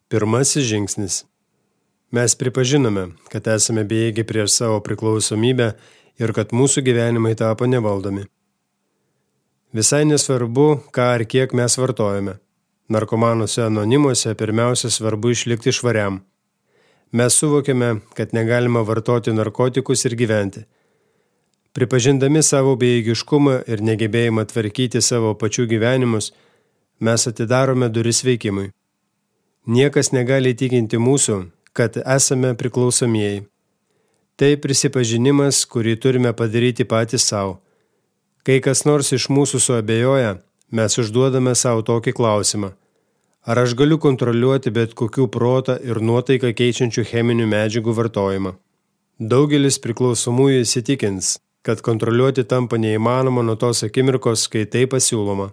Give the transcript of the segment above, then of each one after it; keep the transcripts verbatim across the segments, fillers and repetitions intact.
Pirmasis žingsnis. Mes pripažinome, kad esame bejėgiai prieš savo priklausomybę ir kad mūsų gyvenimai tapo nevaldomi. Visai nesvarbu, ką ar kiek mes vartojame. Narkomanuose anonimuose pirmiausia svarbu išlikti švariam. Mes suvokiame, kad negalima vartoti narkotikus ir gyventi. Pripažindami savo bejėgiškumą ir negebėjimą tvarkyti savo pačių gyvenimus, mes atidarome duris veikimui. Niekas negali įtikinti mūsų, kad esame priklausomieji. Tai prisipažinimas, kurį turime padaryti patys savo. Kai kas nors iš mūsų suabejoja, mes užduodame savo tokį klausimą. Ar aš galiu kontroliuoti bet kokių protą ir nuotaiką keičiančių cheminių medžiagų vartojimą? Daugelis priklausomųjų įsitikins, kad kontroliuoti tampa neįmanoma nuo tos akimirkos, kai tai pasiūloma.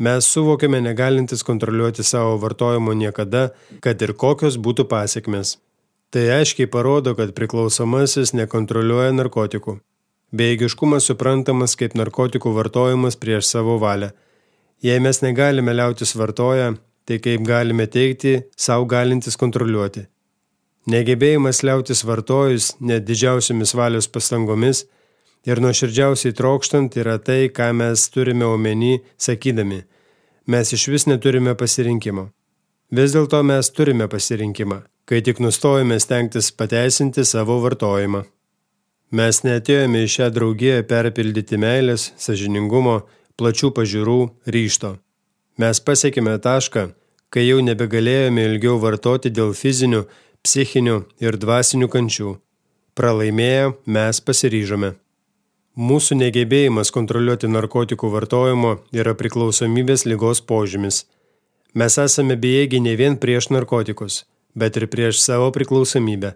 Mes suvokiame negalintis kontroliuoti savo vartojimo niekada, kad ir kokios būtų pasekmės. Tai aiškiai parodo, kad priklausomasis nekontroliuoja narkotikų. Bejėgiškumas suprantamas kaip narkotikų vartojimas prieš savo valią. Jei mes negalime liautis vartoję, tai kaip galime teikti, savo galintis kontroliuoti. Negebėjimas liautis vartojus net didžiausiomis valios pastangomis ir nuoširdžiausiai trokštant yra tai, ką mes turime omeny, sakydami, mes iš vis neturime pasirinkimo. Vis dėlto mes turime pasirinkimą, kai tik nustojame stengtis pateisinti savo vartojimą. Mes neatėjome į šią draugiją perpildyti meilės, sąžiningumo, plačių pažiūrų, ryžto. Mes pasiekime tašką, kai jau nebegalėjome ilgiau vartoti dėl fizinių, psichinių ir dvasinių kančių. Pralaimėję, mes pasiryžome. Mūsų negebėjimas kontroliuoti narkotikų vartojimo yra priklausomybės ligos požymis. Mes esame bejėgiai ne vien prieš narkotikus, bet ir prieš savo priklausomybę.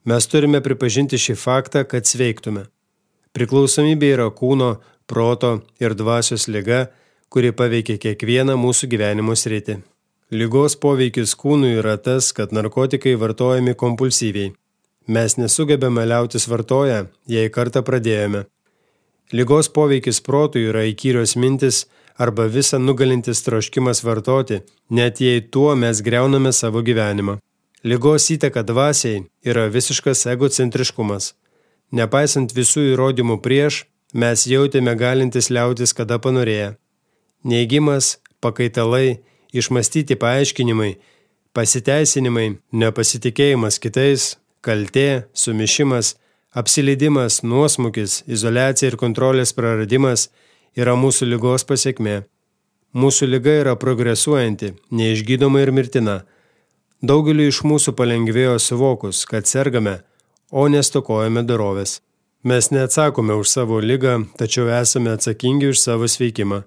Mes turime pripažinti šį faktą, kad sveiktume. Priklausomybė yra kūno, proto ir dvasios liga, kuri paveikia kiekvieną mūsų gyvenimo sritį. Ligos poveikis kūnui yra tas, kad narkotikai vartojami kompulsyviai. Mes nesugebame liautis vartoję, jei kartą pradėjome. Ligos poveikis protui yra įkyrios mintis arba visą nugalintis troškimas vartoti, net jei tuo mes griauname savo gyvenimą. Ligos įtaka dvasiai yra visiškas egocentriškumas. Nepaisant visų įrodymų prieš, mes jautėme galintis liautis kada panorėję. Neigimas, pakaitalai, išmastyti paaiškinimai, pasiteisinimai, nepasitikėjimas kitais, kaltė, sumišimas, apsileidimas, nuosmukis, izoliacija ir kontrolės praradimas yra mūsų ligos pasekmė. Mūsų liga yra progresuojanti, neišgydoma ir mirtina. Daugeliu iš mūsų palengvėjo suvokus, kad sergame, o nestokojame dorovės. Mes neatsakome už savo ligą, tačiau esame atsakingi už savo sveikimą.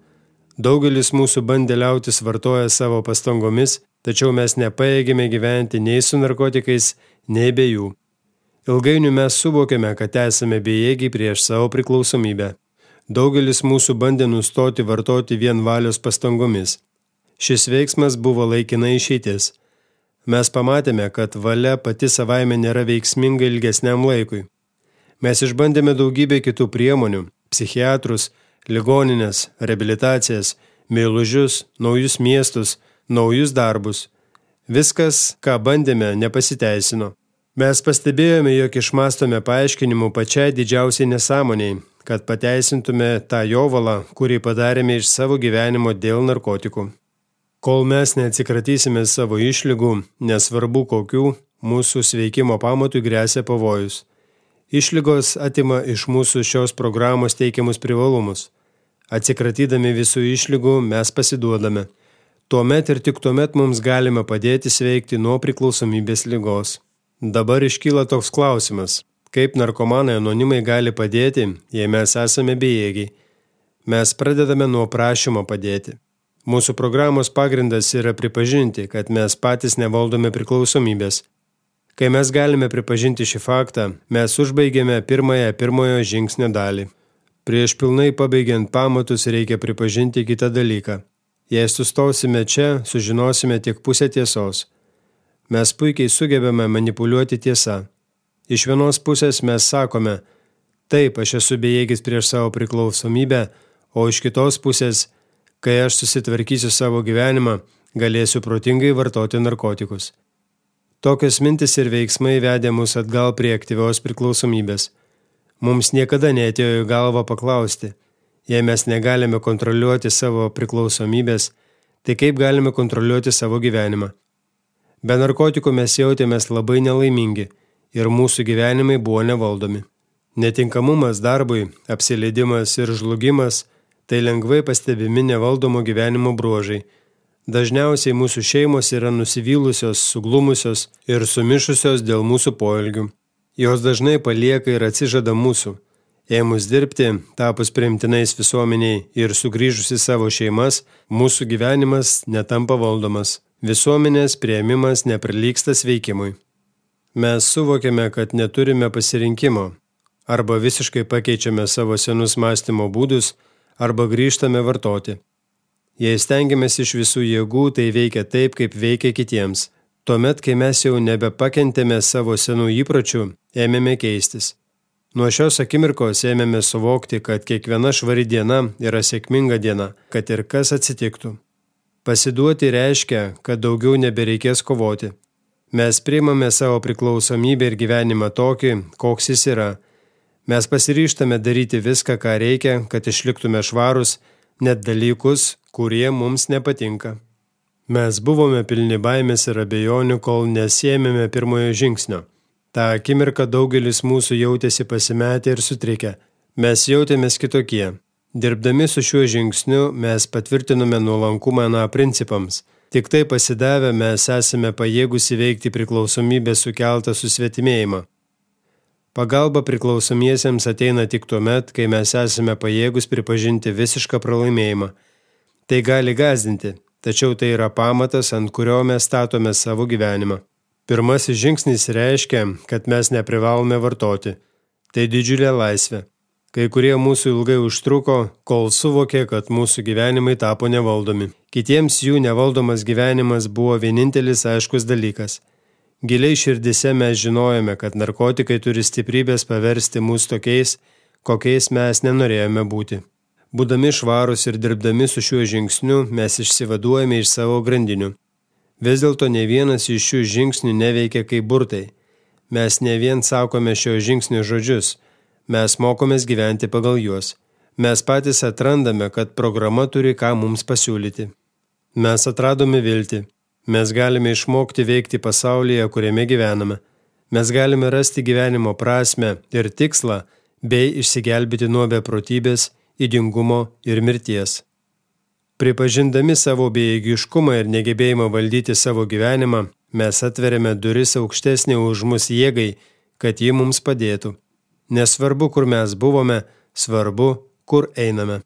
Daugelis mūsų bandė liautis vartoja savo pastangomis, tačiau mes nepajėgėme gyventi nei su narkotikais, nei be jų. Ilgainiui mes suvokėme, kad esame bejėgiai prieš savo priklausomybę. Daugelis mūsų bandė nustoti vartoti vien valios pastangomis. Šis veiksmas buvo laikina išeitis. Mes pamatėme, kad valia pati savaime nėra veiksminga ilgesniam laikui. Mes išbandėme daugybę kitų priemonių – psichiatrus, ligoninės, reabilitacijas, meilužius, naujus miestus, naujus darbus. Viskas, ką bandėme, nepasiteisino. Mes pastebėjome, jog išmastome paaiškinimų pačiai didžiausiai nesąmoniai, kad pateisintume tą jovalą, kurį padarėme iš savo gyvenimo dėl narkotikų. Kol mes neatsikratysime savo išlygų, nesvarbu kokių, mūsų sveikimo pamatui gresia pavojus. Išlygos atima iš mūsų šios programos teikiamus privalumus. Atsikratydami visų išlygų mes pasiduodame. Tuomet ir tik tuomet mums galime padėti sveikti nuo priklausomybės ligos. Dabar iškyla toks klausimas, kaip narkomanai anonimai gali padėti, jei mes esame bejėgiai. Mes pradedame nuo prašymo padėti. Mūsų programos pagrindas yra pripažinti, kad mes patys nevaldome priklausomybės. Kai mes galime pripažinti šį faktą, mes užbaigėme pirmąją pirmojo žingsnio dalį. Prieš pilnai pabaigiant pamatus reikia pripažinti kitą dalyką. Jei sustosime čia, sužinosime tik pusę tiesos. Mes puikiai sugebame manipuliuoti tiesą. Iš vienos pusės mes sakome, taip, aš esu bejėgis prieš savo priklausomybę, o iš kitos pusės, kai aš susitvarkysiu savo gyvenimą, galėsiu protingai vartoti narkotikus. Tokios mintis ir veiksmai vedė mus atgal prie aktyvios priklausomybės. Mums niekada neatėjo į galvą paklausti, jei mes negalime kontroliuoti savo priklausomybės, tai kaip galime kontroliuoti savo gyvenimą? Be narkotikų mes jautėmės labai nelaimingi ir mūsų gyvenimai buvo nevaldomi. Netinkamumas darbui, apsileidimas ir žlugimas – tai lengvai pastebimi nevaldomo gyvenimo bruožai. Dažniausiai mūsų šeimos yra nusivylusios, suglumusios ir sumišusios dėl mūsų poelgių. Jos dažnai palieka ir atsižada mūsų. Ėmus dirbti, tapus priimtinais visuomeniai ir sugrįžus į savo šeimas, mūsų gyvenimas netampa valdomas. Visuomenės priėmimas neprilygsta sveikimui. Mes suvokiame, kad neturime pasirinkimo. Arba visiškai pakeičiame savo senus mąstymo būdus, arba grįžtame vartoti. Jei stengiamės iš visų jėgų, tai veikia taip, kaip veikia kitiems. Tuomet, kai mes jau nebepakentėme savo senų įpročių, ėmėme keistis. Nuo šios akimirkos ėmėme suvokti, kad kiekviena švari diena yra sėkminga diena, kad ir kas atsitiktų. Pasiduoti reiškia, kad daugiau nebereikės kovoti. Mes priimame savo priklausomybę ir gyvenimą tokį, koks jis yra. Mes pasiryžtame daryti viską, ką reikia, kad išliktume švarus, net dalykus, kurie mums nepatinka. Mes buvome pilni baimės ir abejonių, kol nesėmėme pirmojo žingsnio. Ta akimirka daugelis mūsų jautėsi pasimetę ir sutrikę. Mes jautėmės kitokie. Dirbdami su šiuo žingsniu mes patvirtinome nuolankumą na principams. Tik tai pasidavę mes esame pajėgus įveikti priklausomybę sukeltą susvetimėjimą. Pagalba priklausomiesiems ateina tik tuomet, kai mes esame pajėgus pripažinti visišką pralaimėjimą. Tai gali gąsdinti, tačiau tai yra pamatas, ant kurio mes statome savo gyvenimą. Pirmasis žingsnis reiškia, kad mes neprivalome vartoti. Tai didžiulė laisvė. Kai kurie mūsų ilgai užtruko, kol suvokė, kad mūsų gyvenimai tapo nevaldomi. Kitiems jų nevaldomas gyvenimas buvo vienintelis aiškus dalykas. Giliai širdise mes žinojome, kad narkotikai turi stiprybės paversti mus tokiais, kokiais mes nenorėjome būti. Būdami švarūs ir dirbdami su šiuo žingsniu, mes išsivaduojame iš savo grandinių. Vis dėlto ne vienas iš šių žingsnių neveikia kaip burtai. Mes ne vien sakome šio žingsnio žodžius, mes mokomės gyventi pagal juos. Mes patys atrandame, kad programa turi ką mums pasiūlyti. Mes atradome viltį. Mes galime išmokti veikti pasaulyje, kuriame gyvename. Mes galime rasti gyvenimo prasmę ir tikslą, bei išsigelbėti nuo beprotybės, ydingumo ir mirties. Pripažindami savo bejėgiškumą ir negebėjimą valdyti savo gyvenimą, mes atveriame duris aukštesnį už mus jėgai, kad ji mums padėtų. Nesvarbu, kur mes buvome, svarbu, kur einame.